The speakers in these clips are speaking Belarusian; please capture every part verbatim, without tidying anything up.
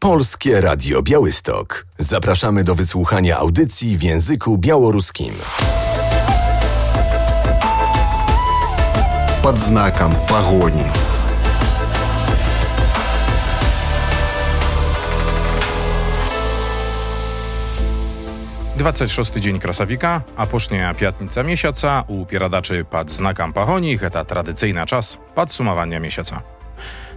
Polskie Radio Białystok. Zapraszamy do wysłuchania audycji w języku białoruskim. Pod znakiem pogoni. двадцать шосты dzień Krasawika, a posznia piatnica miesiąca u pieradaczy pod znakiem pogoni, to tradycyjny czas podsumowania miesiąca.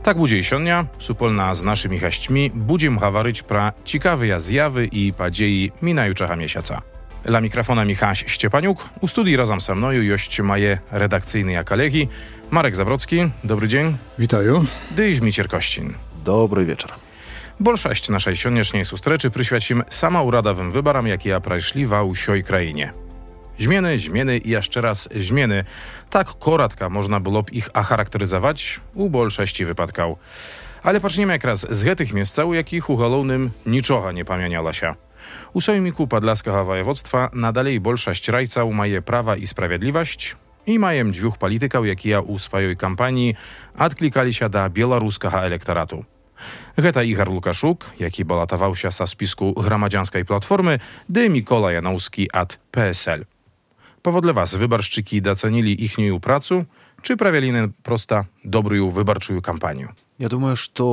Tak będzie i sionia, supolna z naszymi haśćmi, będziemy hawaryć pra ciekawe zjawy i padziei minajuczego miesiąca. Dla mikrofona Michaś Szczepaniuk, u studii razem ze mną jość moje redakcyjne kolegi Marek Zabrocki, dobry dzień. Witają. Dyś Micier Kościn. Dobry wieczór. Большасць нашай сённяшняй сустрэчы прысвяцім самаўрадавым выбарам, якія прайшлі ва ўсёй краіне. Змены, змены і яшчэ раз змены. Так коратка можна было б іх ахарактарызаваць у большасці выпадкаў. Але пачнем якраз з гэтых месцаў, у якіх у галоўным нічога не памянялася. У Сойміку Падляскага ваяводства надалей большасць райцаў мае права і справядлівасць і маем дзвюх палітыкаў, якія ў сваёй кампаніі адклікаліся да беларускага электарату. Гэта Ігар Лукашук, які балатаваўся са спіску грамадзянскай платформы, ды Мікола Яноўскі ад пэ эс эль. Паводле вас выбаршчыкі дацанілі іхнюю працу, чи правялі проста добрую выбарчую кампанію? Я думаю, што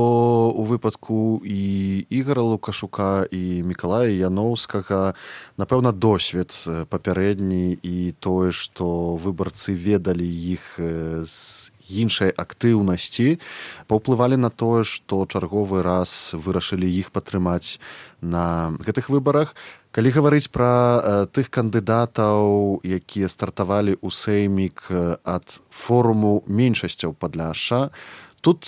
у выпадку і Ігара Лукашука, і Мікалая Яноўскага, напэўна, досвед папярэдні і тое, што выбарцы ведалі іх з іншай актыўнасці, паўплывалі на тое, што чарговы раз вырашылі іх падтрымаць на гэтых выбарах. Калі гаварыць пра э, тых кандыдатаў, якія стартавалі ў Сеймік ад форуму меншасцяў Падляшша, тут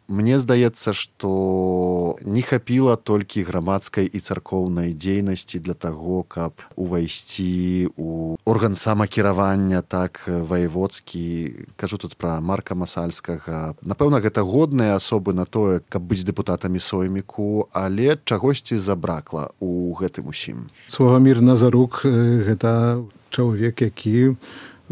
мне здаецца, што не хапіла толькі грамадскай і царкоўнай дзейнасці для таго, каб увайсці ў орган самакіравання, так, ваяводскі. Кажу тут пра Марка Масальскага. Напэўна, гэта годныя асобы на тое, каб быць дэпутатамі Сойміку, але чагосьці забракла ў гэтым усім. Славамір Назарук – гэта чалавек, які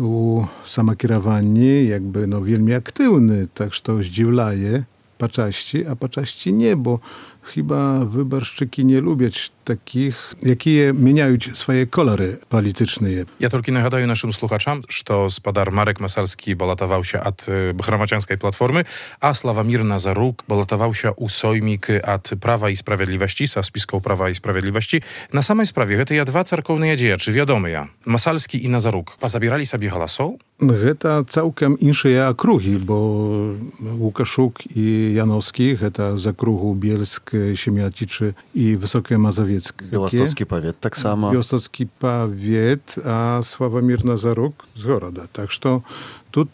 у самакіраванні якby no вельмі актыўны, так што здзіўляе пачасці, а пачасці не, бо chyba wyborszczyki nie lubiać takich, jakie mieniają swoje kolory polityczne. Ja tylko nagadaję naszym słuchaczom, że spadar Marek Masalski balatował się od Gramadzянskiej Platformy, a Slawomir Nazaruk balatował się u Sojmik od Prawa i Sprawiedliwości, sa spiską Prawa i Sprawiedliwości. Na samej sprawie, to ja dwa cerkowne dzieje, czy wiadomo ja, Masalski i Nazaruk, pozabierali sobie głosów? To całkiem inne okrugi, bo Łukaszuk i Janowski, to z okrugu Bielsk, Siemiaticzy i Wysokie Mazowieckie. Białostocki powiat, tak samo. Białostocki powiat, a Sławomir Nazaruk z Goroda. Tak że tu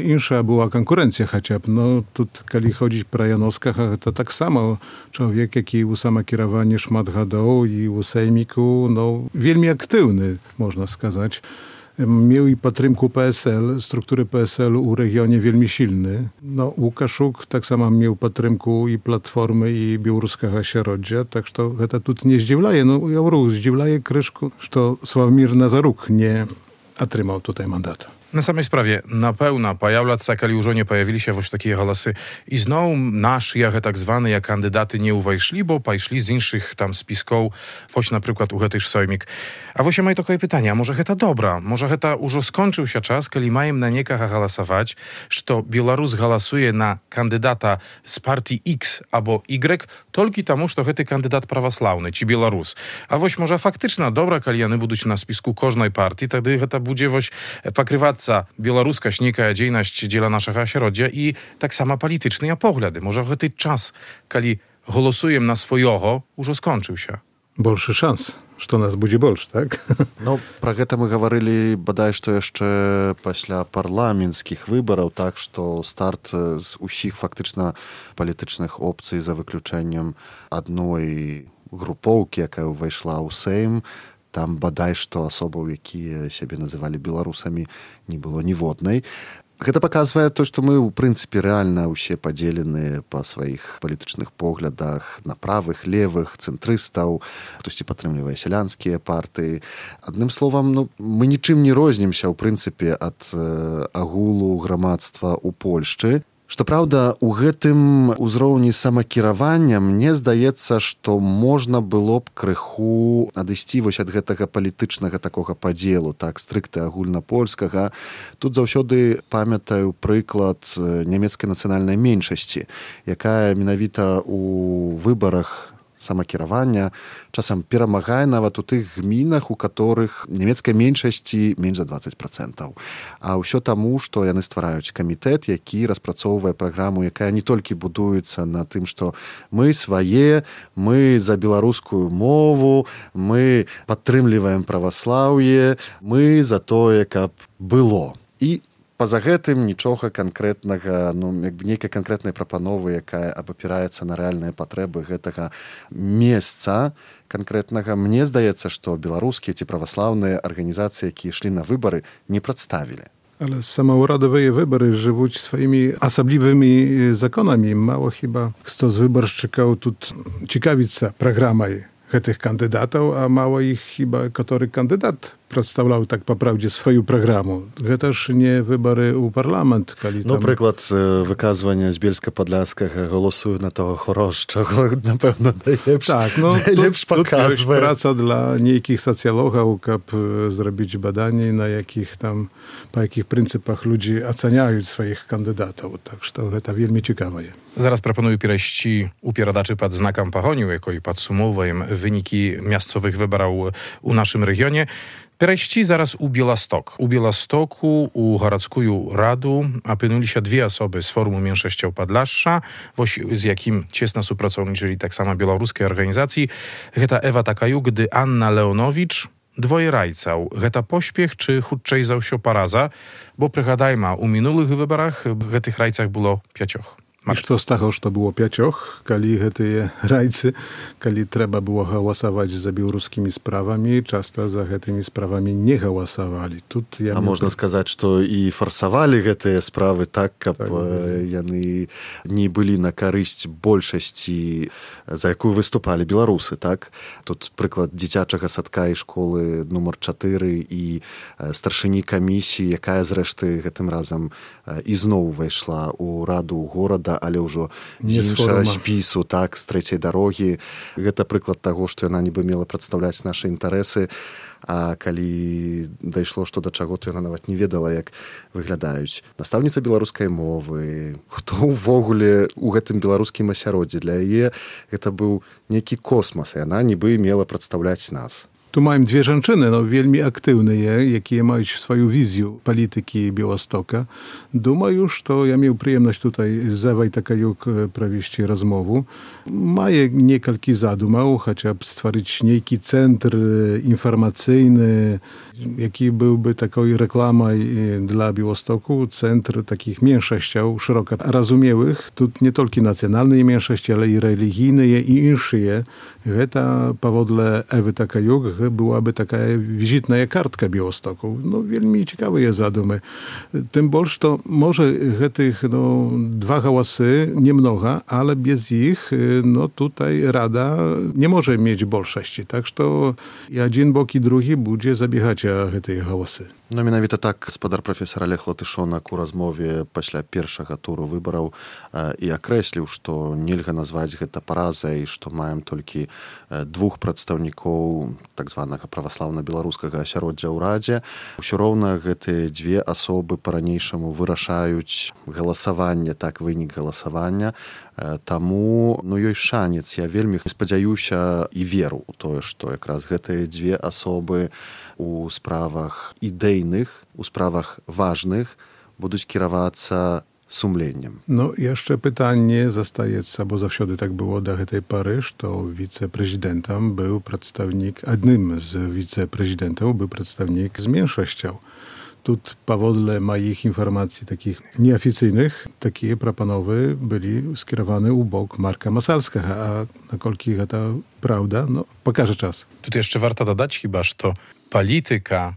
insza była konkurencja chociaż. No, tu, kiedy chodzi pro Janowskach, to tak samo człowiek, jaki u samokierowanie szmat gadał i u Sejmiku, no, wielmi aktywny, można сказać. Miał i podtrymku P S L, struktury P S L u regionie wielmi silny. No, Łukaszuk tak samo miał podtrymku i Platformy, i białoruskiego środzia, tak że to tu nie zdziwlaje. No, ja ruch zdziwlaje kryszku, że Sławomir Nazaruk nie otrzymał tutaj mandatu. Na samej sprawie, na pełna pojawiać kali już nie pojawili się właśnie takie głosy i znowu nasi, jak tak zwane, jak kandydaty nie uwajszli, bo pajszli z innych tam spisków, właśnie na przykład u Hetysz Sojmik. A właśnie mają takie pytania, może heta dobra, może heta już skończył się czas, kiedy mają na niekach głosować, że Białorus głosuje na kandydata z partii X albo Y, tylko temu, że hety kandydat prawosławny, ci Białorus. A właśnie może faktyczna dobra, kiedy one będą na spisku każdej partii, wtedy heta będzie właśnie pokrywać białoruska śnika dziejność dziela naszego środzia i tak samo polityczne poglądy. Może w ten czas, kiedy głosujemy na swojego, już skończył się. Больше szans, że nas będzie больше, tak? No, про гэта мы гаварылі, бадай, што яшчэ пасля парламенцкіх выбараў, так што старт з усіх фактычна палітычных опцый за выключэннем адной групоўкі, якая ўвайшла ў Сейм, там бадай, што асобаў, якія сябе называлі беларусамі, не было ніводнай. Гэта паказвае то, што мы, ў прынцыпе, рэальна ўсе падзелены па сваіх палітычных поглядах на правых, левых, цэнтрыстаў, хтосьці падтрымлівае сялянскія партыі. Адным словам, ну, мы нічым не рознімся, ў прынцыпе, ад э, агулу грамадства ў Польшчы. Што праўда, у гэтым узроўні самакіравання мне здаецца, што можна было б крыху адысці вось ад гэтага палітычнага такога падзелу, так, стрыкта агульнапольскага. Тут заўсёды памятаю прыклад нямецкай нацыянальнай меншасці, якая менавіта у выбарах самакіравання часам перамагае нават у тых гмінах, у которых нямецкай меншасці менш за дваццаць працэнтаў. А ўсё таму, што яны ствараюць камітэт, які распрацоўвае праграму, якая не толькі будуецца на тым, што мы свае, мы за беларускую мову, мы падтрымліваем праваслаўе, мы за тое, каб было. І па-за гэтым нічога канкрэтнага, ну, як бы нейкай канкрэтнай прапановы, якая абапіраецца на рэальныя патрэбы гэтага месца канкрэтнага. Мне здаецца, што беларускія ці праваслаўныя арганізацыі, якія ішлі на выбары, не прадставілі. Ale samouраdowe wybory żywuć swoimi osobliwymi zakonami. Mało chyba kto z wyborczykał tu ciekawica programaj tych kandydatów, a mało ich chyba, który kandydat przedstawiał tak po prawdzie swoją programu. To też nie wybory u parlament. Tam... No przykład wykazywania z Bielska-Podlaskiego głosują na tego choroszczego, na pewno najlepszy, tak, no, najlepszy pokaz. Praca dla niekich socjologów, żeby zrobić badanie, na jakich tam, po jakich pryncypach ludzie oceniają swoich kandydatów. Także to, to wielmi ciekawe jest. Zaraz proponuję pireści upieradaczy pod znakiem pahoniu, jako i podsumowujem wyniki miastowych wyborów u naszym regionie. Pireści zaraz u Bielastok. U Bielastoku, u Garadzkuju Radu apynuli się dwie osoby z Forumu Mniejszością Podlasza, z jakim ciesno współpracowniczyli tak samo białoruskie organizacji. Heta Ewa Takajuk, gdy Anna Leonowicz, dwoje rajcał. Heta pośpiech czy chudczej zausio paraza, bo przygadajmy, u minulych wyborach w tych rajcach było pięcioch. I što z tego, że to było pięcioch, kali te rajcy, kali trzeba było głosować za białoruskimi sprawami, często za tymi sprawami nie głosowali. Тут ja A można to... сказать, что и форсовали гэтые справы так, каб так, яны не былі на карысць большасці, за якую выступалі беларусы, так? Тут прыклад дзіцячага садка і школы нумар чатыры і старшыні камісіі, якая зрэшты гэтым разам ізноў увайшла ў раду горада, але ўжо з іншага спісу, так, з трэцяй дарогі. Гэта прыклад таго, што яна нібы мела прадстаўляць нашы інтарэсы, а калі дайшло што да чаго, то яна нават не ведала, як выглядаюць настаўніца беларускай мовы, хто ўвогуле у гэтым беларускім асяроддзі. Для яе гэта быў нейкі космас, і яна нібы мела прадстаўляць нас. Tu mamy dwie żeńczyny, no, wielmi aktywne, jakie mają swoją wizję polityki Białostoka. Duma już, to ja miał przyjemność tutaj z Ewą Takajuk prawiści rozmowu. Maje niekalki zadumał, chociaż stworzyć niejki centr informacyjny, jaki byłby taką reklamą dla Białostoku, centr takich mniejszościów szeroko rozumiałych. Tu nie tylko nacjonalne mniejszości, ale i religijne i inne. To powodle Ewy Takajuk byłaby taka wizytna kartka Białostoku. No, wielmi ciekawe jest zadumy. Tym bardziej to może tych no, dwa hałasy, nie mnoga, ale bez ich, no tutaj Rada nie może mieć большости. Tak, że to jeden bok i drugi będzie zabiegać tych hałasy. No менавіта так гаспадар прафесор Олег Латышонак у размове пасля першага туру выбараў і акрэсліў, што нельга назваць гэта паразай, што маем толькі двух прадстаўнікоў так званага праваслаўна-беларускага асяроддзя ў Радзе. Усё роўна гэтыя дзве асобы па-ранейшаму вырашаюць галасаванне, так, вынік галасавання. Таму, ну, ёсць шанец. Я вельмі спадзяюся і веру ў тое, што якраз гэтыя дзве асобы у справах ідэйных, у справах важnych будуць кіравацца сумленнем. No jeszcze pytanie zostaje, bo zawsze tak było do tej pory, to wiceprezydentem był przedstawnik, jednym z wiceprezydentów był przedstawnik z mniejszością. Tu powodle moich informacji takich nieoficjalnych, takie proponowy byli skierowane u bok Marka Masalskiego, a na kolki to prawda, no pokaże czas. Tu jeszcze warto dodać chyba, że to polityka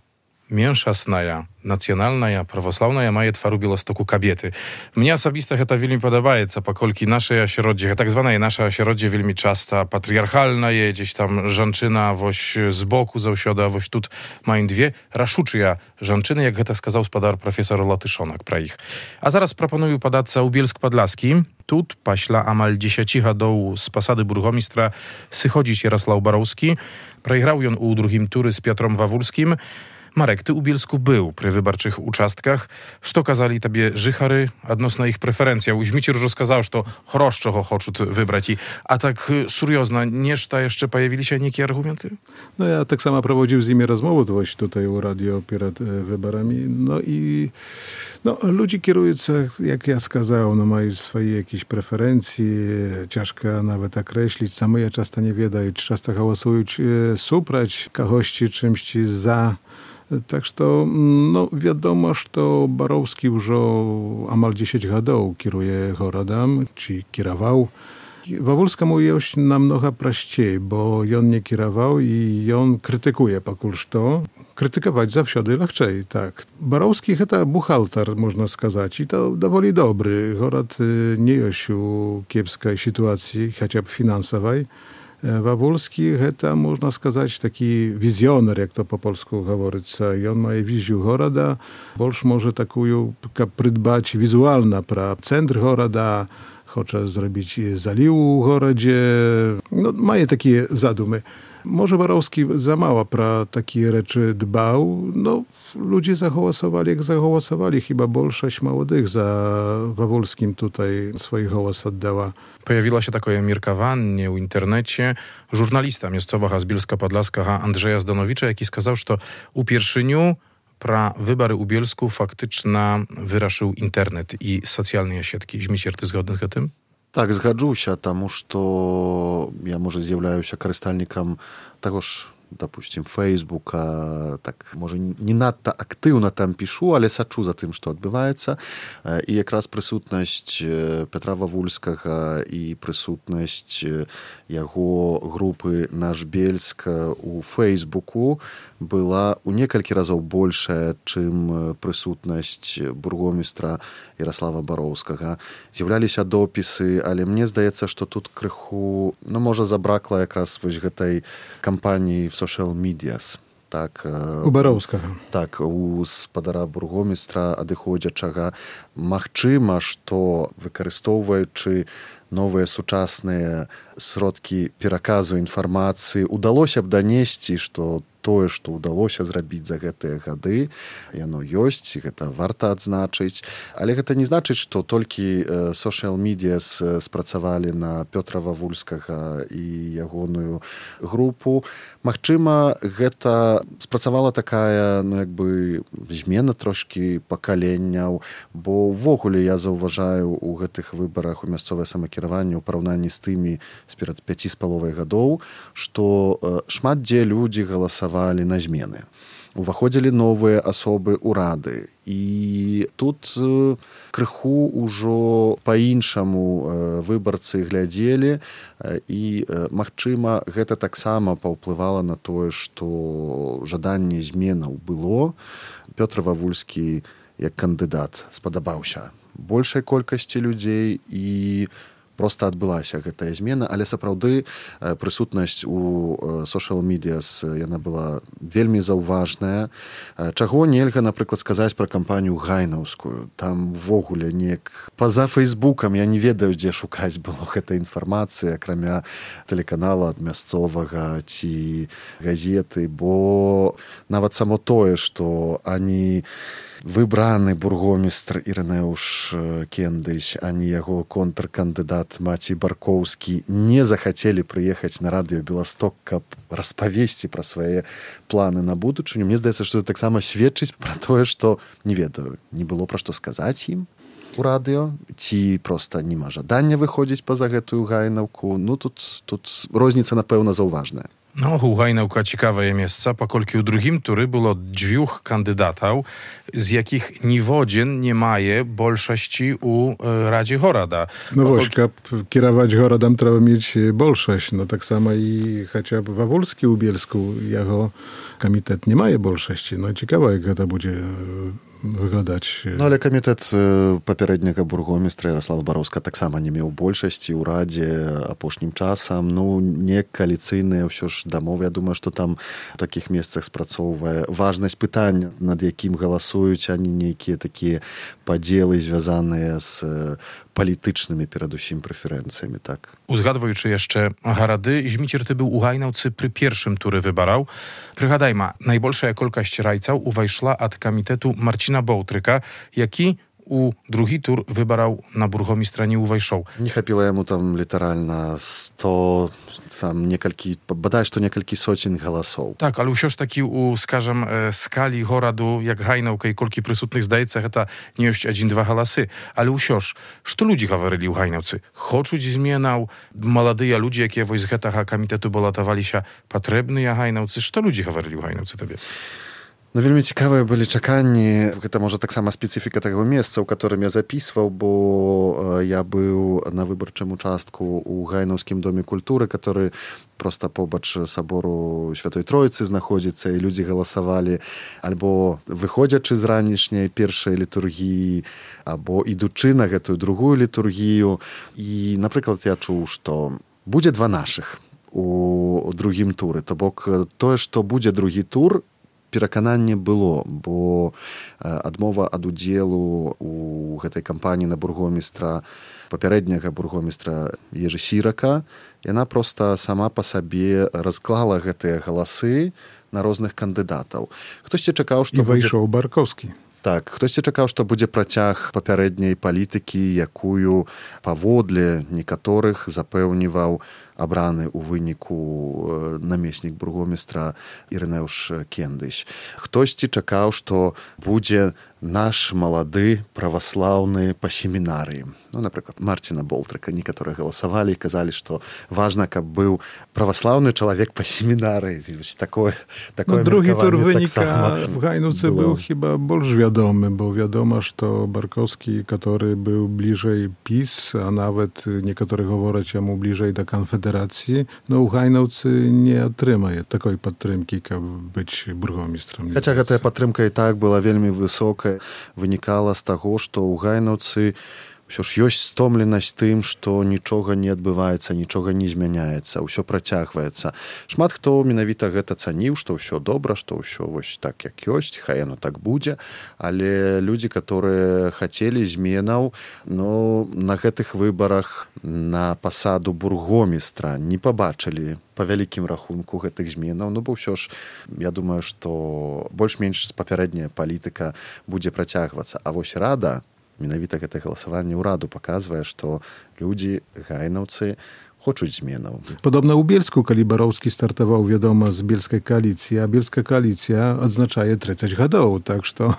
меншасная, нацыянальная, праваслаўная мае твар у Беластоку кабеты. Мне асабіста гэта вельмі падабаецца, паколькі нашае асяроддзе, так званае наша асяроддзе вельмі часта патрыярхальнае, дзесь там жанчына вось з боку заўсёды, а вось тут маем две рашучыя жанчыны, як гэта сказаў спадар прафесор Латышонак пра іх. А зараз прапаную падацца ў Бельск-Падласкі. Тут пасля амаль дзесяці гадоў з пасады бургомістра сыходзіць Ярослаў Бароўскі. Прайграў ён у другім туры з Петром Вавульскім. Marek, ty u Bielsku był przy wyborczych uczastkach. Co kazali tobie żychary odnośnie ich preferencji? Uźmicie już сказал, что хорошего хочут выбрать. A tak seriozna, nieszta jeszcze pojawili się niekie argumenty? No ja tak samo prowadził z nimi rozmowę właśnie tutaj u radio przed wyborami. No i no, ludzie kierujący, jak ja skazał, no mają swoje jakieś preferencje, ciężko nawet określić. Same ja często nie wiedają, czy często głosują suprać kogoś czymś za. Tak что, no wiadomo, że Barowski już amal dziesięć гадоў kieruje городом, czy kierował. Wawulskiemu jest namnoga prościej, bo on nie kierował i on krytykuje pakul to. Krytykować zawsze łatwiej, tak. Barowski to buchalter, można сказать, i to dowoli dobry. Город nie jest w kiepskiej sytuacji, chociaż finansowej. Wawulski to, można сказать, taki wizjoner, jak to po polsku говорится. I on ma wizję города, больше może taką przydbać wizualna pra centr города, chce zrobić zalił w gorodzie. No, ma takie zadumy. Może Barowski za mało pra takie rzeczy dbał. No, ludzie zagłosowali, jak zagłosowali. Chyba większość młodych za Wawulskim tutaj swoich głos oddała. Pojawiła się takie mirkowanie w internecie żurnalista miejscowa z Bielska-Podlaska Andrzeja Zdanowicza, jaki skazał, że u pierwszyniu pra wybory u Bielsku faktycznie wyraszył internet i socjalne siatki. Zmicier, ty zgodny z tym? Так, згаджуся, таму што я, можа, з'яўляюся карыстальнікам таго ж, допустим, Фейсбука, так, можа, не надта актыўна там пішу, але сачу за тым, што адбываецца. І якраз прысутнасць Петра Вавульскага і прысутнасць яго групы «Наш Бельск» у Фейсбуку была ў некалькі разоў большая, чым прысутнасць бургомістра Ярослава Бароўскага. З'яўляліся допісы, але мне здаецца, што тут крыху, ну, можа, забракла якраз вось гэтай кампаніі в social medias. Так, у Бароўскага. Так, у спадара бургомістра адыходзячага. Магчыма, што выкарыстоўваючы новыя сучасныя сродкі пераказу інфармацыі, удалося б данесці, што тое, што ўдалося зрабіць за гэтыя гады, яно ёсць, гэта варта адзначыць. Але гэта не значыць, што толькі social medias спрацавалі на Пётра Вавульскага і ягоную групу. Магчыма, гэта спрацавала такая, ну, як бы, змена трошкі пакаленняў, бо ўвогуле я заўважаю у гэтых выбарах у мясцовае самакіраванне ў параўнанні з тымі сперад пяці з паловай гадоў, што шмат дзе людзі галасавалі на змены. Уваходзілі новыя асобы ўрады. І тут крыху ўжо па-іншаму выбарцы глядзелі, і, магчыма, гэта таксама паўплывала на тое, што жаданне зменаў было. Пётр Вавульскі як кандыдат спадабаўся большай колькасці людзей, і проста адбылася гэтая змена, але сапраўды прысутнасць у social medias яна была вельмі заўважная. Чаго нельга, напрыклад, сказаць пра кампанію гайнаўскую. Там увогуле неяк па-за Фейсбукам я не ведаю, дзе шукаць было гэтай інфармацыі, акрамя тэлеканала ад мясцовага ці газеты, бо нават само тое, што ані выбраны бургомістр Ірынеуш Кендыч, ані яго контркандыдат Мацей Баркоўскі не захацелі прыехаць на радыё Беласток, каб распавесці пра свае планы на будучыню. Мне здаецца, што это таксама сведчыць пра тое, што, не ведаю, не было пра што сказаць ім у радыё, ці проста няма жадання выходзіць па-за гэтую гайнаўку. Ну, тут, тут розніца, напэўна, заўважная. No, u Hajnałka ciekawe miejsca, pokolki u drugim tury było dwóch kandydatów, z jakich niwodzien nie maje bolszości u e, Radzie Horada. No Pokolki... właśnie, kierować Horadam trzeba mieć bolszość. No tak samo i chociaż Wawulski u Bielsku, jako komitet nie maje bolszości. No ciekawe, jak to będzie wyglądać. No ale komitet poprzedniego burgomistra Jarosława Barowska tak samo nie miał большасці ў Радзе апошнім часам. Ну, не коаліцыйныя, ўсё ж дамовы. Я думаю, што там у такіх месцах спрацоўвае важнасць пытання, над якім галасуюць, а не нейкія такія падзелы, звязаныя з politycznymi перадусім preferencjami, tak. Uzgadwuючи jeszcze Harady, Zmicier ty był u Hajnałcy przy pierwszym tury wybarał. Przygadajma, najbolsza kolkaść rajcał uwajszła od komitetu Marcina Bołtryka, jaki u drugi tur wybarał na burgomistra nie uwajszał. Nie chapilo jemu tam literalnie sto, tam niekalki, badaj, że to niekalki socien głosów. Tak, ale usiąż taki u, skażem, e, skali Horadu, jak Hajnałka i kolki przysutnych zdajcach, to nie już jeden, dwa głosy. Ale usiąż, co ludzie говорили u Hajnałcy? Choczuć zmienał, młodyja ludzie, jakie w zgetach komitetu bolatowali się potrzebny ja Hajnałcy. Co ludzie говорили u Hajnałcy tobie? No вельмі цікавыя былі чаканні. Гэта можа таксама спецыфіка таго месца, у которым я записываў, бо я быў на выбарчым участку у Гайнаўскім доме культуры, который проста побач сабору Святой Троіцы знаходзіцца, і людзі галасавалі альбо выходзячы з ранішняй першай літургіі, або ідучы на гэтую другую літургію. І, напрыклад, я чуў, што будзе два нашых у другім туры. То бок тое, што будзе другі тур, перакананне было, бо адмова ад удзелу у гэтай кампаніі на бургомістра, папярэдняга бургомістра Ежы Сірака, яна проста сама па сабе разклала гэтыя галасы на розных кандыдатаў. Хтосьці чакаў, што і выйшаў будзе... Баркоўскі. Так, хтосьці чакаў, што будзе працяг папярэдняй палітыкі, якую паводле некаторых запэўніваў абраны ў выніку намеснік бургомістра Ірынеуш Кендыш. Хтосьці чакаў, што будзе наш малады праваслаўны па семінарыі. Ну, напрыклад, Марціна Болтрыка. Некаторыя галасавалі і казалі, што важна, каб быў праваслаўны чалавек па семінарыі. Такое, такое no, drugi tur tak wynika w Hajnówce był chyba больш wiadomy, bo wiadomo, że Barkowski, który był bliżej PiS, a nawet niektórzy mówią mu bliżej do Konfederacji, no u Hajnówce nie otrzymaje takiej podtrzymki, jak być burgomistrem. Chociaż ta podtrzymka i tak była wielmi wysoka, wynikała z tego, że u Hajnówce ўсё ж ёсць стомленасць тым, што нічога не адбываецца, нічога не змяняецца, ўсё працягваецца. Шмат хто менавіта гэта цаніў, што ўсё добра, што ўсё вось так, як ёсць, хай яно так будзе, але людзі, которые хацелі зменаў, ну, на гэтых выбарах на пасаду бургомістра не пабачылі па вялікім рахунку гэтых зменаў, ну, бо ўсё ж, я думаю, што больш-менш папярэдняя палітыка будзе працягвацца. А вось Рада, менавіта гэтае галасаванне ўраду паказвае, што людзі, гайнаўцы, хочуць зменаў. Падобна ў Бельску, калі Бароўскі стартаваў, вядома, з бельскай кааліцыі, а бельская кааліцыя адзначае трыццаць гадоў, так што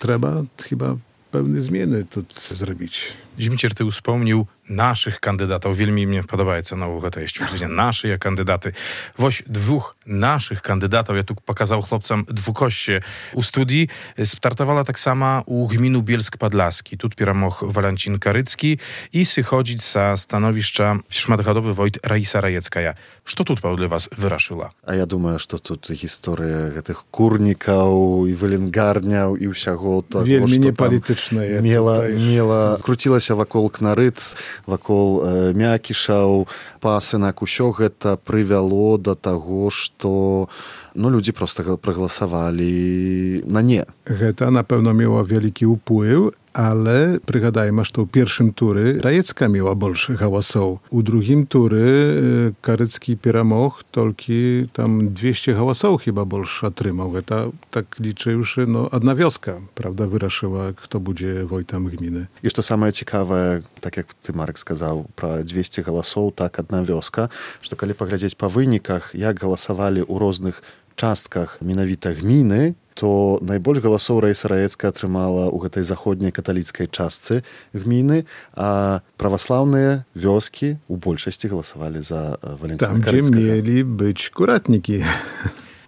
трэба хіба pewne zmiany тут zrobić. Zmicier, ty wspomniał naszych kandydatów. Wielmi mnie podobaється нового te stwierdzenie. Nasze kandydaty. Woś dwóch naszych kandydatów, ja tu pokazał chłopcom dwukoście u studii, startowała tak sama u gminu Bielsk-Podlaski. Tu pieramok Walancin Karycki i sychodzić sa stanowiska szmatgadowy wojt Raisa Rajeckaja. Co tu dla was wyraszyła? A ja думаю, że тут historia tych kurnikаў i wylęgarniał i ўсяго того, Wielmi что niepolityczne. Мела, мела, крутілася вакол кнарыц, вакол э, мякішаў, пасынак, усё гэта прывяло да таго, што ну, людзі проста прагаласавалі на не. Гэта, напэўна, мела вялікі ўплыў, ale przygadajmy, że w pierwszym tury Rajecka miała больше głosów. U drugim tury Karycki Pieramok tylko tam dwieście głosów chyba больше otrzymał. To tak liczyłszy, no, jedna wioska, prawda, wyraszyła, kto będzie wojtem gminy. I to самое ciekawe, tak jak ty, Marek, сказал, про dwieście głosów, tak, jedna wioska, że kiedy poglądać po wynikach, jak głosowali u różnych czastkach minawita gminy, то найбольш галасоў Раіса Раецкая атрымала ў гэтай заходняй каталіцкай частцы гміны, а праваслаўныя вёскі ў большасці галасавалі за Валентина Там, Карыцкага. Там, дзе мелі быць куратнікі.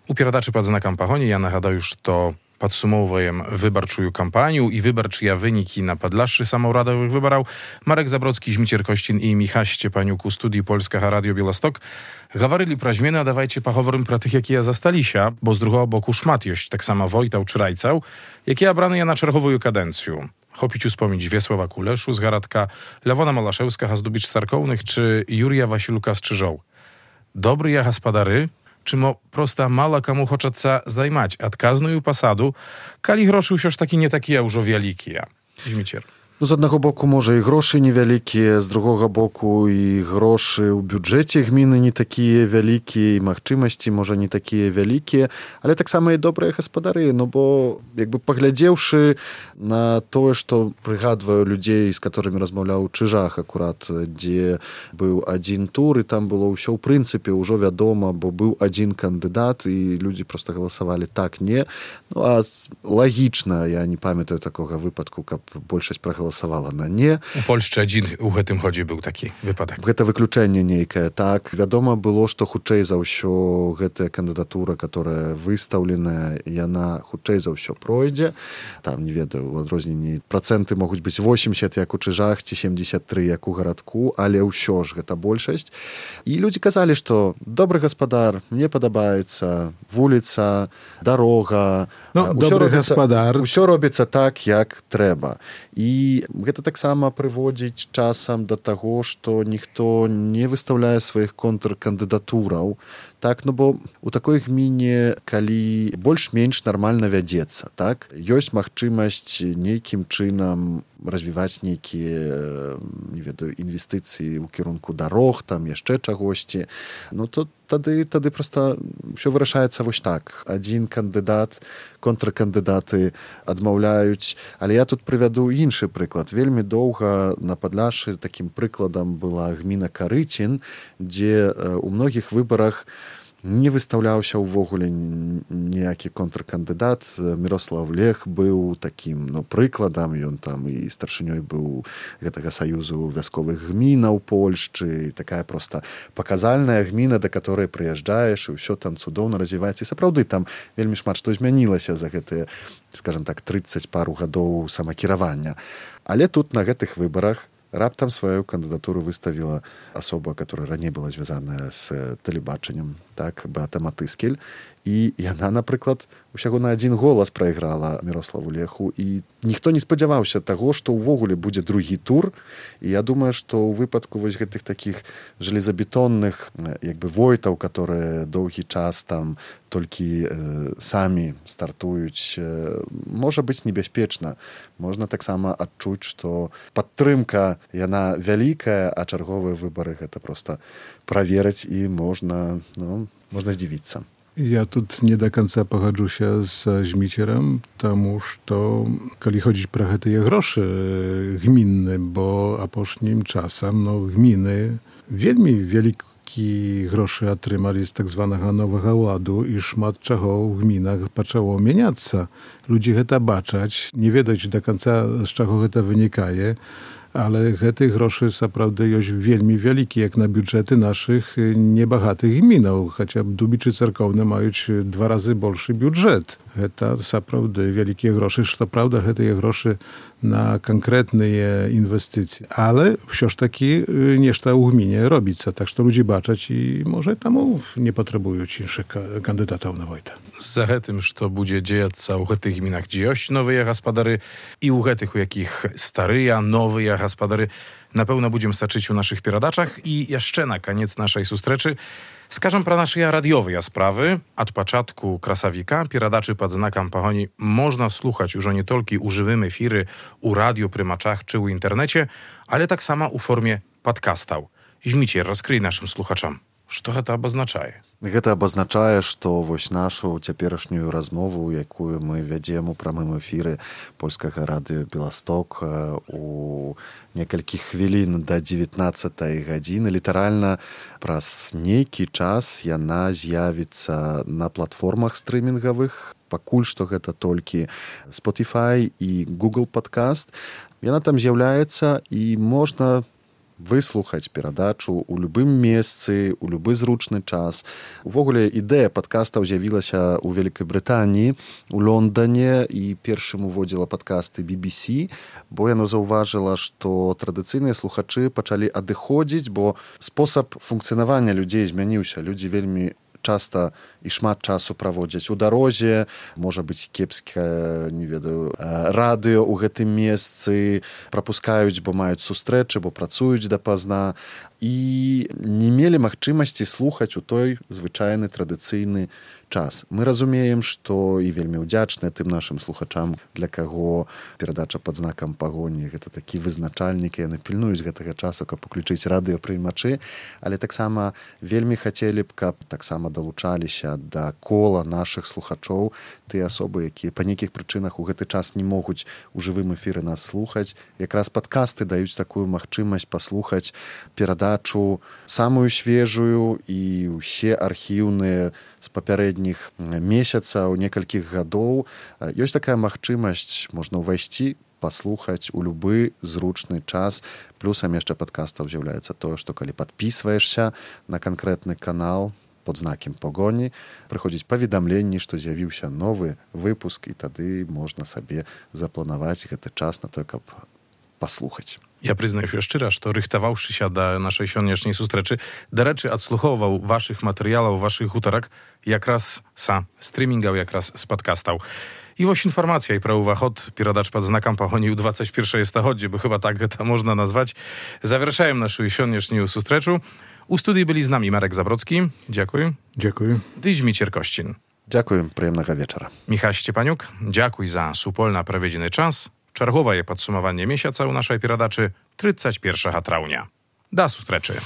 У перадачы «Пад знакам пагоні» я нагадаю, што падсумоўваем выбарчую кампанію і выбарчыя вынікі на падляшшы самаўрадавых выбараў. Марек Забродскі, Зміцер Косцін і Міхась Сцепанюк у студыі Польскага радыё Беласток гаварылі пра змены, а давайце паговорым пра тых, якія засталіся, бо з другога боку шмат ёсць таксама войтаў чи райцаў, якія абраныя на чарговую кадэнцыю. Chopić uspomnieć Wiesława Kuleszu z Garadka, Lewona Malaszewska z Dubicz Sarkownych czy Jurija Wasilka z Czyżoł. Dobry ja gaspadary, czy mo prosta mala komu хочеться zajmać adkazную посаду, калі грошы ўсё ж такі не такія ўжо вялікія. Зміцер. Ну, з аднаго боку, можа, і грошы невялікія, з другога боку, і грошы ў бюджэце гміны не такія вялікія, і магчымасці, можа, не такія вялікія, але таксама і добрыя гаспадары, ну, бо, як бы, паглядзеўшы на тое, што прыгадваю людзей, з которымі размаўляў у Чыжах, акурат, дзе быў адзін тур, і там было ўсё, ў прынцыпе, ўжо вядома, бо быў адзін кандыдат, і людзі проста галасавалі так, не. Ну, а лагічна, я не памятаю такога выпадку, каб большасць прагаласавала галасавала на не. У Польшчы адзін у гэтым годзе быў такі выпадак. Гэта выключэнне нейкае. Так, вядома было, што хутчэй за ўсё гэтая кандыдатура, которая выстаўленая, яна хутчэй за ўсё пройдзе. Там, не ведаю, у адрозненні працэнты могуць быць восемьдесят, як у Чыжах, ці семьдесят три, як у Гарадку, але ўсё ж гэта большасць. І людзі казалі, што добры гаспадар, мне падабаецца вуліца, дарога, ну, ўсё добры робіцца, гаспадар. Усё робіцца так, як трэба. І гэта таксама прыводзіць часам да таго, што ніхто не выстаўляе сваіх контркандыдатураў. Так, ну бо у такой гміне, калі больш-менш нармальна вядзецца, так, ёсць магчымасць нейкім чынам развіваць нейкія, не ведаю, інвестыцыі ў кірунку дарог, там яшчэ чагосьці, ну то тады, тады проста ўсё вырашаецца вось так. Адзін кандыдат, контркандыдаты адмаўляюць, але я тут прывяду іншы прыклад. Вельмі доўга на Падляшшы такім прыкладам была гміна Карыцін, дзе у многіх выбарах не выстаўляўся ўвогуле ніякі контркандыдат. Мірослав Лех быў такім, ну, прыкладам, ён там і старшынёй быў гэтага саюзу вясковых гмінаў Польшчы, такая проста паказальная гміна, да которой прыязджаеш, і ўсё там цудоўна развіваецца. І сапраўды там вельмі шмат што змянілася за гэтыя, скажем так, тридцать пару гадоў самакіравання. Але тут на гэтых выбарах раптам сваю кандыдатуру выставіла асоба, которая раней была звязаная з тэлебачаннем, так, Беата Матыскель. І яна, напрыклад, усяго на адзін голас прайграла Мірославу Леху, і ніхто не спадзяваўся таго, што ўвогуле будзе другі тур. І я думаю, што ў выпадку вось гэтых такіх жалезабетонных, як бы, войтаў, которые доўгі час там толькі э, самі стартуюць, э, можа быць небяспечна. Можна таксама адчуць, што падтрымка, яна вялікая, а чарговыя выбары гэта проста праверыць, і можна, ну, можна здзівіцца. Ja тут nie do końca pogodzę się z Zmicierem, тому что, коли chodzić про гэтые grosze gminne, bo aposznim czasem, no, gminy wielmi wielki grosze otrzymali z tak zwanego nowego ładu i szmat czego w gminach zaczęło mieniać. Ludzie to baczać, nie wiedzieć do końca, z czego to wynikaje, ale гэтых groszy naprawdę jest wielmi wielki, jak na budżety naszych niebogatych gminów. Chociaż Dubiczy Cerkowne mają dwa razy większy budżet. To naprawdę wielkie groszy, to prawda, te groszy na konkretne inwestycje. Ale wciąż taki nieszta u gminie robić. Tak, że ludzie baczać i może tam nie potrzebują innych kandydatów na wojtę. Za tym, że będzie dziać się u tych gminach, gdzie jest nowe gospodary i u tych, u jakich stare, nowe gospodary, na pewno będziemy staczyć u naszych pieradaczach. I jeszcze na koniec naszej sustreczy skażę pra naszej radiowej sprawy. Od początku Krasawika, pieradaczy pod znakiem pahoni, można słuchać już nie tylko u żywym efiry, u radio prymaczach czy u internecie, ale tak samo u formie podcastał. Zmicier, rozkryj naszym słuchaczom, Што гэта абазначае? Гэта абазначае, што вось нашу цяперашнюю размову, якую мы вядзем у прамым эфіры польскага радыё Беласток у некалькі хвілін да дзевятнаццатай гадзіны, літаральна праз нейкі час яна з'явіцца на платформах стрымінгавых. Пакуль што гэта толькі Spotify і Google Podcast. Яна там з'яўляецца і можна выслухаць перадачу ў любым месцы, у любы зручны час. Увогуле, ідэя падкастаў з'явілася ў Вялікай Брытаніі, у Лондане, і першым уводзіла падкасты би би сі, бо яна заўважыла, што традыцыйныя слухачы пачалі адыходзіць, бо спосаб функцыянавання людзей змяніўся. Людзі вельмі часта і шмат часу праводзяць у дарозе, можа быць кепскае, не ведаю, радыё ў гэтым месцы, прапускаюць, бо маюць сустрэчы, бо працуюць дапазна, і не мелі магчымасці слухаць у той звычайны традыцыйны час. Мы разумеем, што і вельмі ўдзячныя тым нашым слухачам, для каго перадача пад знакам пагоні гэта такі вызначальнік, яны пільнуюць гэтага часу, каб уключыць радыёпрымачы, але таксама вельмі хацелі б, каб таксама далучаліся да кола нашых слухачоў тыя асобы, якія па нейкіх прычынах у гэты час не могуць у жывым эфіры нас слухаць. Якраз падкасты даюць такую магчымасць паслухаць перадачу самую свежую і ўсе архіўныя з папярэдніх месяцаў, некалькіх гадоў. Ёсць такая магчымасць, можна ўвайсці, паслухаць у любы зручны час. Плюсам яшчэ падкастаў з'яўляецца тое, што калі падпісваешся на канкрэтны канал пад знакам пагоні, прыходзіць паведамленні, што з'явіўся новы выпуск, і тады можна сабе запланаваць гэты час на то, каб паслухаць. Я прызнаю шчыра, што рыхтаваўшыся да нашай сённяшняй сустрэчы, дарэчы, адслухоўваў вашых матэрыялаў, вашых гутарак якраз са стрымінгаў, якраз з падкастаў. І вось інфармацыя і пра ўваход перадач пад знакам пагоні ў двадцать первое стагоддзе, бо chyba так гэта можна назваць. Завяршаем нашу сённяшнюю сустрэчу. У студыі былі з намі Марек Забродскі. Дзякую. Дзякую. Ды Зміцер Косцін. Дзякую, прыемнага вечара. Michał Szczepaniuk, дзякуй за супольна праведзены час. Чарговае падсумаванне месяца ў нашай перадачы тридцать первого траўня. Да сустрэчы.